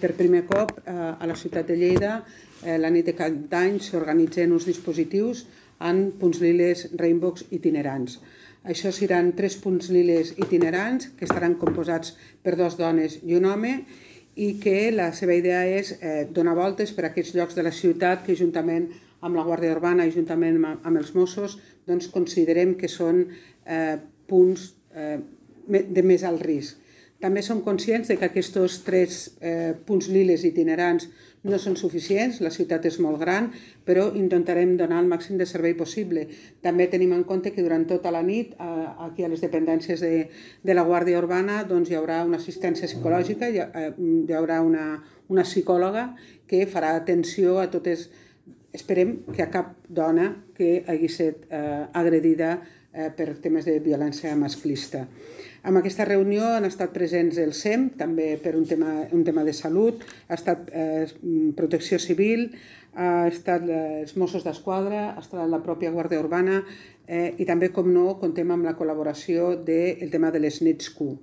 per primer cop a la ciutat de Lleida, la nit de Cap d'Any, s'organitzen uns dispositius amb punts liles Rainbows itinerants. Això seran 3 punts liles itinerants que estaran composats per 2 dones i un home i que la seva idea és donar voltes per a aquests llocs de la ciutat que juntament amb la Guàrdia Urbana i juntament amb els Mossos considerem que són punts de més alt risc. També som conscients que aquests 3 punts liles itinerants no són suficients, la ciutat és molt gran, però intentarem donar el màxim de servei possible. També tenim en compte que durant tota la nit, aquí a les dependències de la Guàrdia Urbana, hi haurà una assistència psicològica, hi haurà una psicòloga que farà atenció a totes. Esperem que a cap dona que hagi estat agredida per temes de violència masclista. En aquesta reunió han estat presents el SEM, també per un tema de salut, ha estat Protecció Civil, ha estat els Mossos d'Esquadra, ha estat la pròpia Guàrdia Urbana i també, com no, comptem amb la col·laboració del tema de les nits Q.